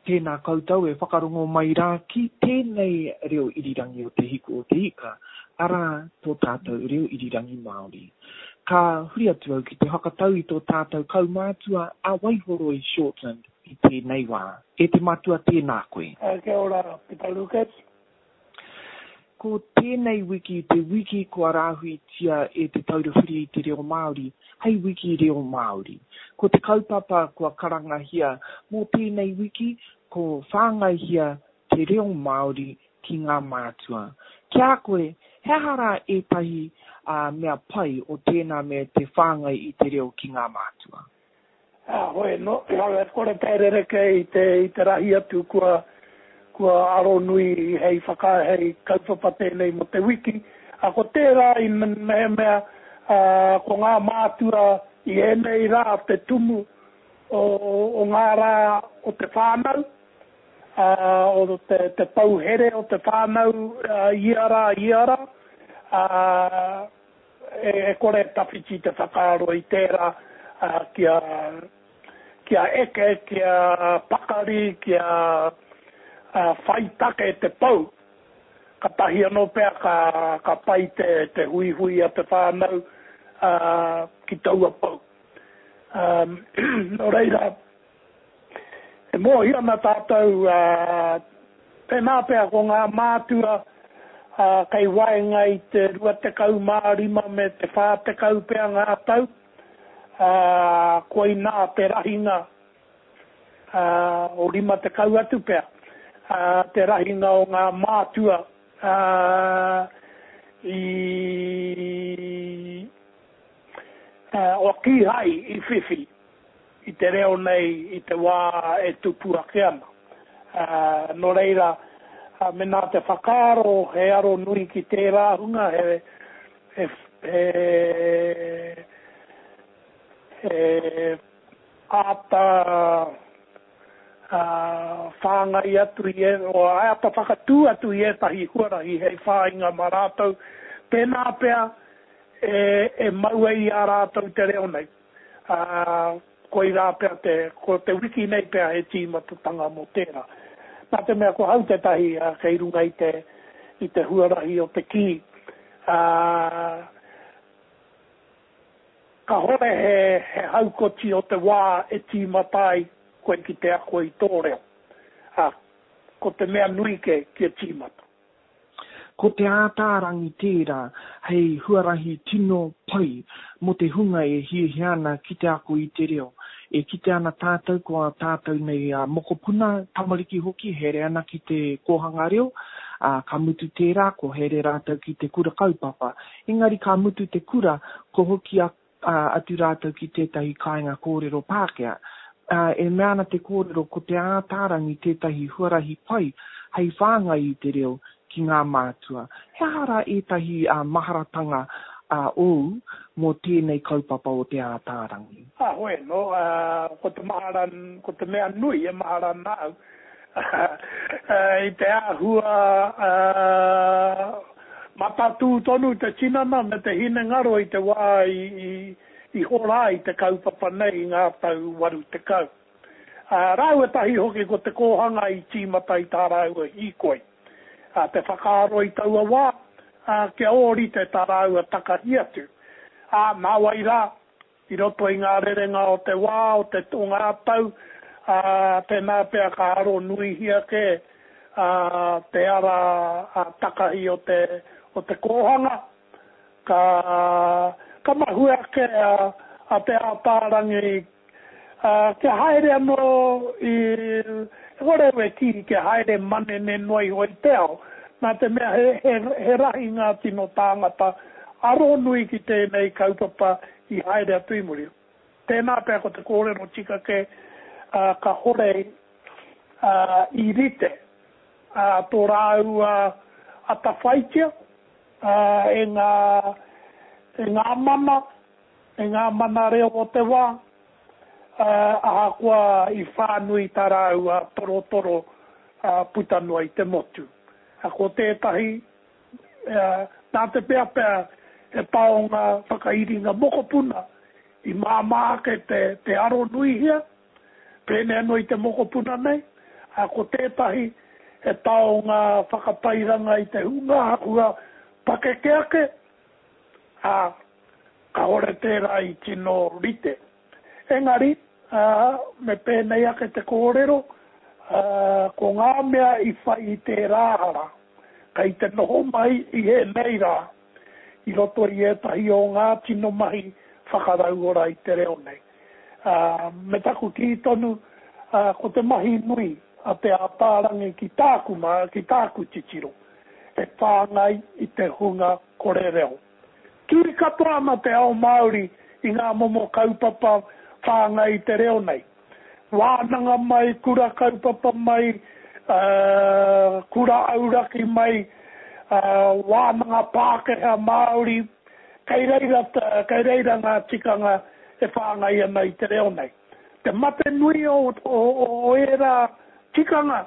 Tēnā koutou e whakarongo mai rā ki tēnei reo irirangi o Te Hiku o Te Ika, arā, tō tātou reo irirangi Māori. Ka huri atu au ki te whakatau i tō tātou kaumātua a Waihoroi Shortland i tēnei wā. E te matua tēnā koe. Kia ora Pita Lucas. Ko tēnei wiki te wiki kua rāhuitia e Te Taura Whiri i te Reo Māori hei wiki reo Māori. Ko te kaupapa kua karangahia mō tēnei wiki ko Whāngaihia te reo Māori ki ngā mātua. Ki a koe, he aha rā ētahi mea pai o tēnā me te whāngai i te reo ki ngā mātua? Ā, hoi anō, e kore pea e rerekē i te, i te rahi atu kua, kua aro nui hei whaka, hei kaupapa tēnei mō te wiki. Ā, ko tērā i mehemea, ā, ko ngā mātua i ēnei rā te tumu o, o ngā rā o te whānau, ā, o te, te pou here o te whānau, ā, ia rā, ia rā, ā, E kore e tawhiti te whakaaro i tērā kia, kia eke, kia pakari, kia whai take te pou. Katahi anō pea ka, ka pai te, te huihui a te whānau ki taua pou. Nō reira, E mōhio ana tātou, tēnā pea ko ngā mātua kei waenga i te 25 me te 40 pea ngā tau, koinā te rahinga o 50 atu pea, te rahinga o ngā mātua i, o kīhai i whiwhi. i te reo nei i te wā e tupu ake ana. Nō reira, mēnā te whakaaro he aro nui ki tērā hunga, he, he, he, he āta whāngai atu i, o, āta whakatū atu i ētahi huarahi hei whāinga mā rātou, tēnā pea e, e mau ai i a rātou te reo nei. Ā, koirā pea te, ko te wiki nei pea he tīmatatanga mō tērā. Nā te mea ko hau tētahi kei runga i te, i te huarahi o te kī, ā, kāhore he, he haukoti o te wā e tīmata ai koe ki te ako i tō reo. Ā, ko te mea nui kē, kia tīmata. Ko Te Ātaarangi tērā hei huarahi tino pai mō te hunga e hiahia ana ki te ako i te reo. E kite ana tātou ko ā tātou nei mokopuna, tamariki hoki, haere ana ki te kōhanga reo, ā, ka mutu tērā, ko haere rātou ki te kura kaupapa. Engari ka mutu te kura, ko hoki atu rātou ki tētahi kāinga kōrero Pākehā. E mea ana te kōrero ko Te Ātaarangi tētahi huarahi pai hei whāngai i te reo ki ngā mātua. He aha rā ētahi maharatanga ōu mō tēnei kaupapa o Te Ātaarangi? Heoi anō, ko te mahara, ko te mea nui e mahara ana au, i te āhua Matatū tonu te tinana me te hinengaro i te wā i hora ai te kaupapa nei i ngā tau 80. Rāua tahi hoki ko te kōhanga i tīmata i tā rāua hīkoi. Te whakaaro i taua wā, kia ōrite tā rāua takahi atu. Ā, nāwai rā, I roto i ngā rerenga o te wā, o te, o ngā tau, ā, tēnā pea ka aro nuihia kē, ā, te ara takahi o te, o te kōhanga, ka, ka mahue ake a, a Te Ātaarangi, ā, kia haere anō i, e kore au e kī kia haere manene noa iho i te ao, nā te mea he, he, he rahi ngā tino tāngata aro nui ki tēnei kaupapa i haere atu i muri. Tēnā pea ko te kōrero tika kē, ka hore i rite tō rāua atawhaitia e ngā, e ngā mana, e ngā mana reo o te wā, ahakoa i whānui tā rāua torotoro puta noa i te motu. Ko tētahi Nā te mea pea he taonga whakairinga mokopuna i māmā ake te aronuihia, pēnei anō i te mokopuna nei, Ā, ko tētahi he taonga whakatairanga i te hunga āhua pakeke ake, ā, kāore tērā i tino rite. Engari, ā, me pēnei ake te kōrero, ā, ko ngā mea i whai i tērā ara, kei te noho mai i ēnei rā, i roto i ētahi o ngā tino mahi whakarauora i te reo nei. Ā, me taku kī tonu, ā, ko te mahi nui a Te Ātaarangi ki tāku mā, ki tāku titiro, he whāngai i te hunga kore reo. Kī katoa ana te ao Māori i ngā momo kaupapa whāngai i te reo nei. Wānanga mai, kura kaupapa mai, ā, kura auraki mai, ā, wānanga Pākehā, Māori, kei reira, kei reira ngā tikanga e whāngai ana i te reo nei. Te mate nui o, o, o ērā tikanga,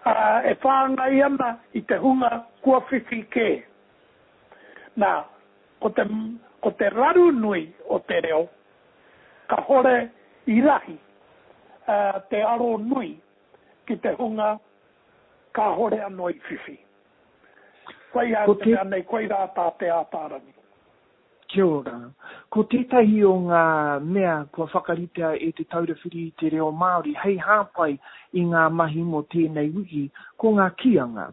ā, e whāngai ana i te hunga kua whiwhi kē. Nā, ko te, ko te raru nui o te reo, kahore i rahi te aro nui ki te hunga kāhore anō i whiwhi. Koia au te mea nei, koirā tā Te Ātaarangi. Kia ora. Ko tētahi o ngā mea kua whakaritea e Te Taura Whiri i te Reo Māori hei hāpai i ngā mahi mō tēnei wiki, ko ngā kīanga.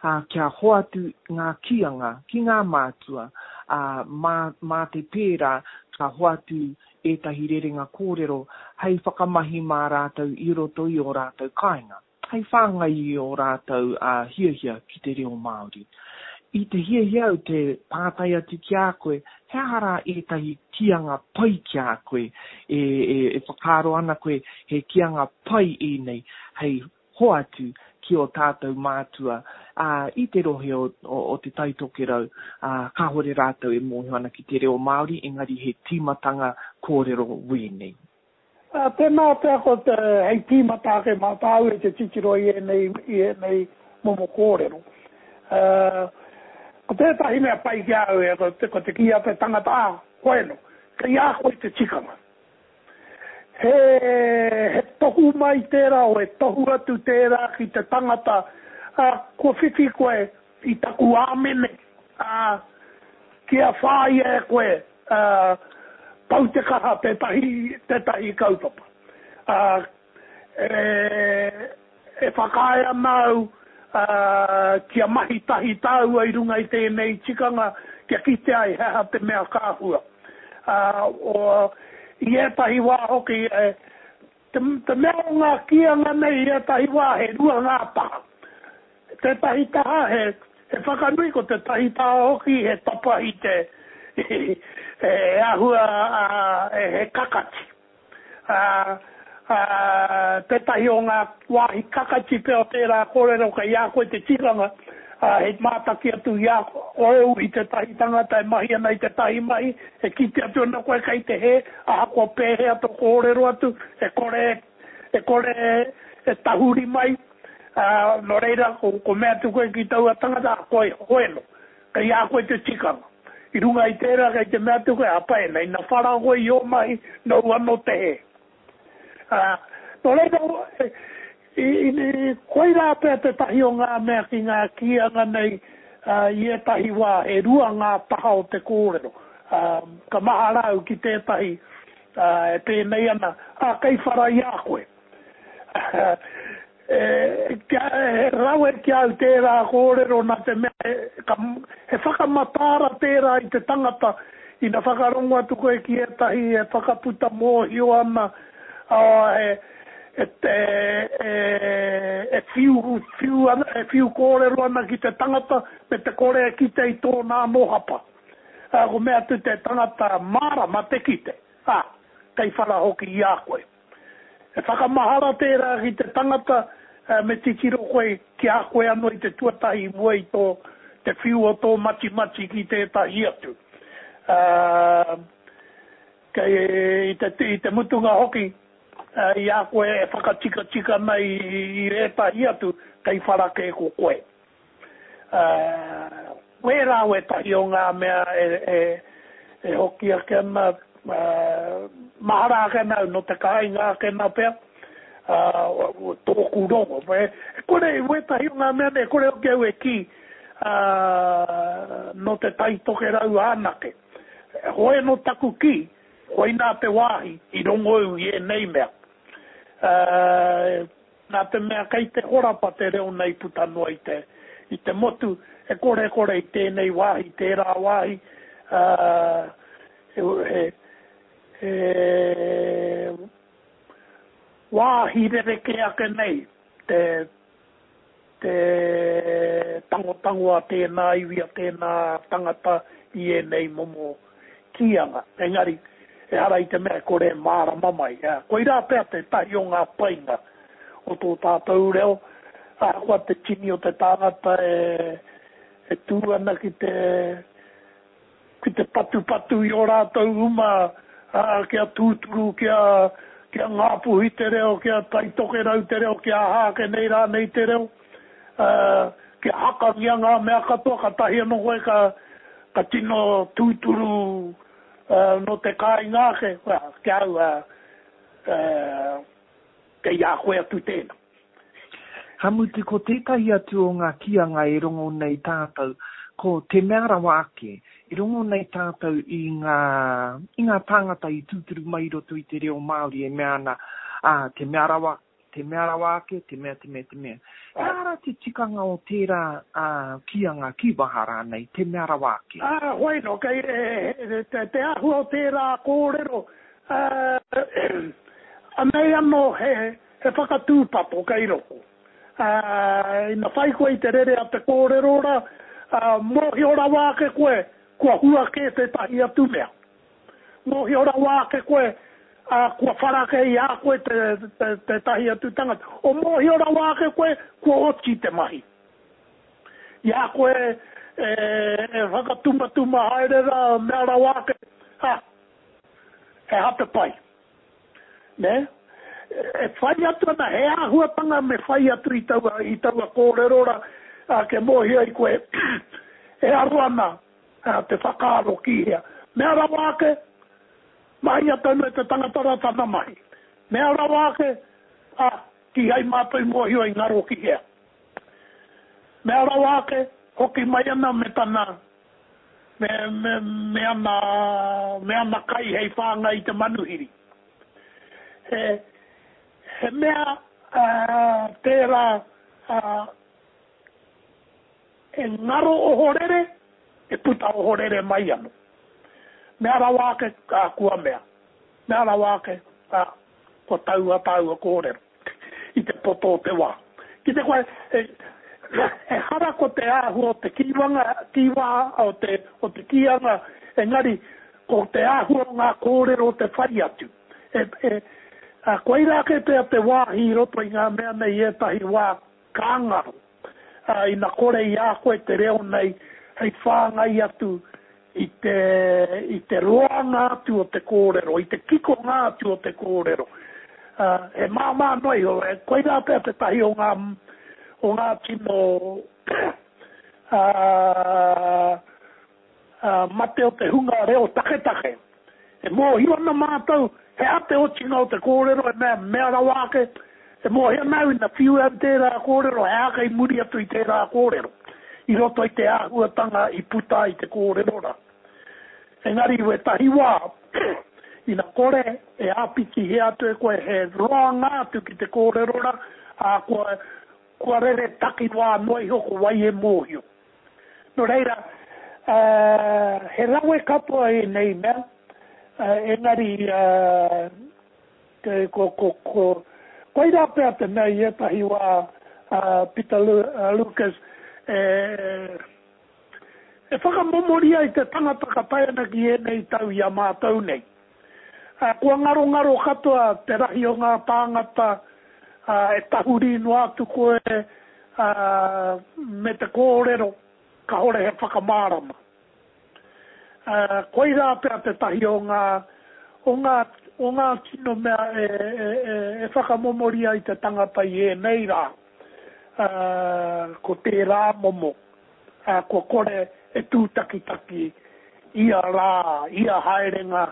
Ā, kia hoatu ngā kīanga ki ngā mātua, ā, mā, mā te pērā ka hoatu ētahi rerenga kōrero hei whakamahi mā rātou i roto i ō rātou kāinga. Hei whāngai i ō rātou hiahia ki te reo Māori. I te hiahia au te pātai atu ki a koe, he aha rā ētahi kīanga pai ki a koe e, e whakaaro ana koe he kīanga pai ēnei hei hoatu ki ō tātou mātua, ā, i te rohe o, o, o Te Tai Tokerau, ā, kāhore rātou e mōhio ana ki te reo Māori, engari he tīmatanga kōrero wēnei. Ā, tēnā pea ko te, hei tīmata ake mā tāu e te titiro i ēnei, i ēnei momo kōrero. Ā, ko tētahi mea pai ki a au, e, ko te, ko te kī a te tangata, ā, koeno, kei a koe te tikanga. He, he tohu mai tērā, o he tohu atu tērā ki te tangata, ā, kua whiwhi koe i taku āmene, ā, kia whāia e koe, ā, pau te kaha tētahi, tētahi kaupapa. Ā, e, e whakaae ana au, ā, kia mahi tahi tāua i runga i tēnei tikanga kia kite ai he aha te mea ka hua. Ā, o, i ētahi wā hoki, e, te, te mea o ngā kīanga nei i ētahi wā he rua ngā taha. Tētahi taha he, he whakanui, ko tētahi taha hoki he tapahi te, he āhua, he kakati. Ā, ā, tētahi o ngā wāhi kakati pea o tērā kōrero kei a koe te tikanga, ā, he mātaki atu i a ōu i tētahi tangata e mahi ana i tētahi mahi, e kite atu ana koe kei te hē, ahakoa pēhea tō kōrero atu, e kore, e kore e tahuri mai. Ā, nō reira, ko, ko mea atu koe ki taua tangata, ā, koe, hoeno, kei a koe te tikanga. I runga i tērā, kei te mea atu koe, ā, pai ana, ina whara koe i ō mahi, nōu anō te hē. Ā, nō reira, i, i, i, koirā pea tētahi o ngā mea ki ngā kīanga nei, ā, i ētahi wā, e rua ngā taha o te kōrero. Ā, ka mahara au ki tētahi, ā, e pēnei ana, ā, kei whara i a koe. He rawe ki a au tērā kōrero nā te mea he whakamataara tērā i te tangata ina whakarongo atu koe ki ētahi e whakaputa mōhio ana, e whiu ana, e whiu kōrero ana ki te tangata me te kore e kite i tōna anō hapa. Ko mea atu te tangata mārama te kite, ā, kei whara hoki i a koe. He whakamahara tērā ki te tangata me titiro koe ki a koe anō i te tuatahi i mua i tō te whiu o tō matimati ki tētahi atu. Kei i te, i te mutunga hoki, i a koe e whakatikatika ana i, i ētahi atu, kei whara kē ko koe. Wērā wētahi o ngā mea e hoki ake ana, mahara ake ana au nō te kāinga ake nā pea. Tōku rongo. E kore, wētahi o ngā mea nei, e kore hoki au e kī, nō Te Tai Tokerau anake. Hoi anō taku kī, koinā te wāhi i rongo au i ēnei mea. Nā te mea kei te horapa te reo nei puta noa i te, i te motu, e korekore i tēnei wāhi, tērā wāhi, he, he, wāhi rerekē ake nei te, te tangotango a tēnā iwi, a tēnā tangata i ēnei momo kīanga. Engari, ehara i te mea e kore e mārama mai. Koirā pea tētahi o ngā painga o tō tātou reo, ahakoa te tini o te tāngata e, e tū ana ki te, ki te patupatu i ō rātou uma, ā, kia tūturu, kia, kia Ngāpuhi te reo, kia Tai Tokerau te reo, kia aha ake nei rānei te reo, ā, kia hakangia ngā mea katoa, kātahi anō koe ka, ka tino tūturu, ā, nō te kāinga ake, well, ki a au, ā, ā, kei a koe atu tēnā. Ka mutu ko tētahi atu o ngā kīanga e rongo nei tātou, ko te mea rawa ake, e rongo nei tātou i ngā, i ngā tāngata i tūturu mai i roto i te reo Māori e mea ana, ā, te mea rawa, te mea rawa ake, te mea, te mea, te mea. He aha rā te tikanga o tērā, ā, kīanga, kīwaha rānei, te mea rawa ake? Ā, hoi nō, kei, e, te, te āhua o tērā kōrero, ā, anei anō he, He whakatūpato kei roto. Ā, ina whai koe i te rere a te kōrero rā, ā, mōhio rawa ake koe kua hua kē tētahi atu mea. Mōhio rawa ake koe, ā, kua whara kē i a koe te, te, tētahi atu tangata. O mōhio rawa ake koe kua oti te mahi. I a koe e, e whakatumatuma haere rā, mea rawa ake, ā, he aha te pai? Nē? E whai atu ana, he āhuatanga me whai atu i taua, i taua kōrero rā, ā, kia mōhio ai koe e aro ana te whakaaro ki hea. Mea rawa ake, mahia tonu e te tangata rā tana mahi. Mea rawa ake, ā, kīhai mātou i mōhio i ngaro ki hea. Mea rawa ake, hoki mai ana me tana, me, me, me ana, me ana kai hei whāngai i te manuhiri. He, he mea uh, tērā uh, e ngaro ohorere, e puta ohorere mai ano. Mea rawa ake, ā, kua mea. Mea rawa ake, ā, kua taua tāua kōrero i te poto o te wā. Ki te koe, ehara ko te āhua o te kīwanga, kīwaha, o te, o te kīanga, engari ko te āhua o ngā kōrero te whai atu. E, e, ā, koirā kē pea te wāhi i roto i ngā mea nei i ētahi wā ka ngaro, ā, ina kore i a koe te reo nei hei whāngai atu i te, i te roanga atu o te kōrero, i te kikonga atu o te kōrero. Ā, he māmā noa iho, e, koirā pea tētahi o ngā, o ngā tino, ā, ā, mate o te hunga reo taketake. E mōhio ana mātou he aha te otinga o te kōrero e mea, mea rawa ake, e mōhio ana au ina whiu au tērā kōrero he aha kei muri atu i tērā kōrero, i roto i te āhuatanga i puta ai te kōrero rā. Engari i wētahi wā, ina kore e āpitihia atu e koe he roanga atu ki te kōrero rā, ā, kua, kua rere takiwā noa iho ko wai e mōhio. Nō reira, he rawe katoa ēnei mea, engari ko, ko, ko, koirā pea te mea i ētahi wā, Peter Lucas, e, e whakamomori ai te tangata ka tae ana ki ēnei tau i a mātou nei. Kua ngarongaro katoa te rahi o ngā tāngata, e tahuri noa atu koe me te kōrero kāore he whakamārama. Koirā pea tētahi o ngā, o ngā, o ngā tino mea e, e, e, e whakamomori ai te tangata i ēnei rā, ko tērā momo. ā, kua kore e tūtakitaki ia rā, ia haerenga,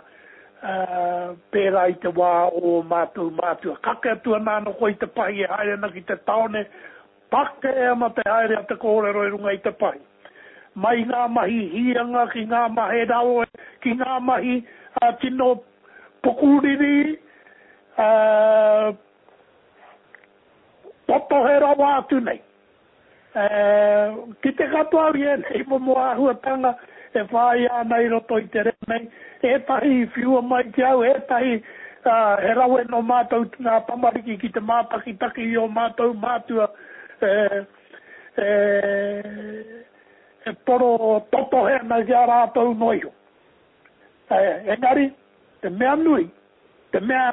Pērā i te wā o ō mātou mātua. Kake atu ana anō koe i te pahi e haere ana ki te tāone, pakē ana te haere a te kōrero i runga i te pahi. Mai i ngā mahi hīanga ki ngā mahe rawe, ki ngā mahi tino pukuriri, totohe rawa atu nei. Kite katoa au i ēnei momo āhuatanga e whāia ana i roto i te reo nei, ētahi i whiua mai ki au, ētahi he rawe nō mātou ngā tamariki ki te mātakitaki i ō mātou mātua e poro totohe ana ki a rātou noa iho. Engari, te mea nui, te mea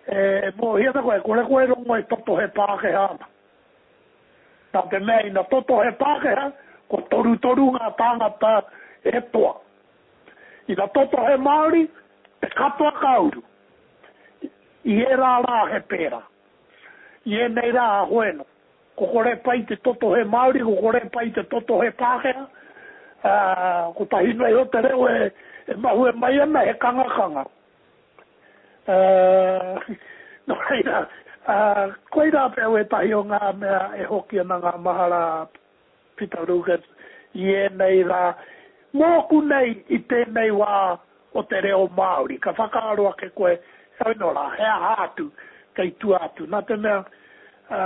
e mōhio ana koe, e kore koe e rongo e totohe Pākehā ana. Nā te mea ina totohe Pākehā, kua torutoru ngā tāngata e toa. Ina totohe Māori, te katoa ka uru. I ērā rā he pērā. I ēnei rā, hoeno. Ko kore pai te totohe Māori, ko kore pai te totohe Pākehā, ā, kotahi noa iho te reo e, e mahue mai ana, he kangakanga. Ā, nō reira, ā, koirā pea wētahi o ngā mea e hoki ana ngā mahara a Peter Lucas i ēnei rā, mōku nei i tēnei wā o te reo Māori, ka whakaaro ake koe, heoi nō rā, he aha atu kei tua atu, nā te mea, ā,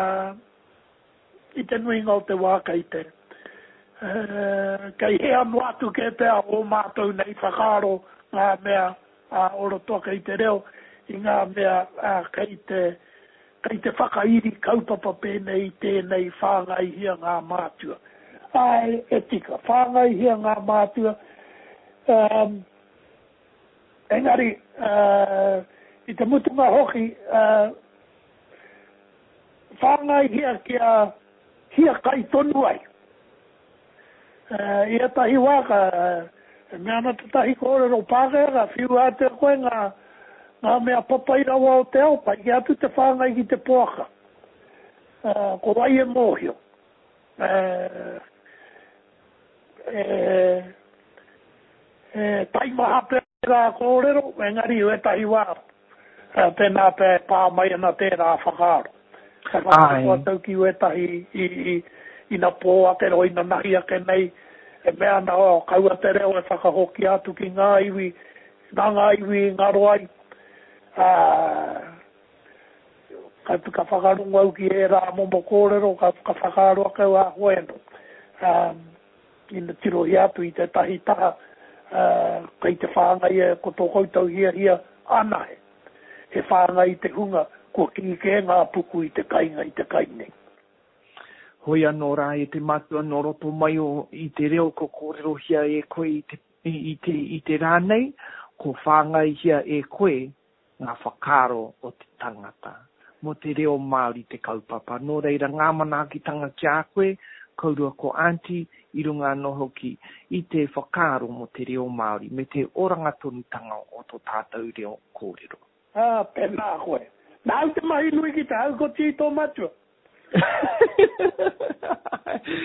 i te nuinga o te wā kei te, ā, kei hea noa atu kē pea ō mātou nei whakaaro ngā mea, ā, o roto ake i te reo, i ngā mea, ā, kei te, kei te whakairi kaupapa pēnei i tēnei whāngaihia ngā mātua. Āe, e tika, whāngaihia ngā mātua, ā, engari, ā, i te mutunga hoki, ā, whāngaihia kia hiakai tonu ai. I ētahi wā ka, e mea ana tētahi kōrero Pākehā, ka whiua atu e koe ngā, ngā mea papai rawa o te ao, pai kē atu te whāngai ki te poaka. Ko wai e mōhio? E, e taimaha pea tērā kōrero, engari i wētahi wā, tēnā pea e pā mai ana tērā whakaaro. Ka whakaaro atu ki wētahi i, i, ina pō ake rō, ina nahi ake nei, e mea ana, oh, kaua te reo e whakahokia atu ki ngā iwi, nā ngā iwi i ngaro ai. Ā, ka, ka whakarongo au ki ērā momo kōrero, ka, ka whakaaro ake au, ā, hoi anō. Ā, Ina tirohia atu i tētahi taha, ā, kei te whāngai e ko tō koutou hiahia anahe, he whāngai i te hunga kua kī kē ngā puku i te kainga i te kai nei. Hoi anō rā e te matua nō roto mai o i te reo ko kōrerohia e koe i te, i te, i te rā nei, ko whāngaihia e koe ngā whakaaro o te tangata. Mō te reo Māori te kaupapa. Nō reira, ngā manaakitanga ki a koe, kourua ko Aunty, i runga anō hoki i te whakaaro mō te reo Māori me te oranga tonutanga o tō tātou reo kōrero. Ā, tēnā koe. Nāu te mahi nui ki te haukoti i tō matua.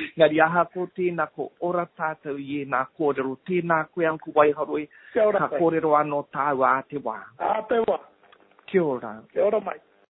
Engari ahakoa tēnā, ko ora tātou i ēnā kōrero. Tēnā koe Uncle Waiharoi, Kia ora ka koe. kōrero anō tāua ā te wā. Ā te wā. Kia ora. Kia ora mai.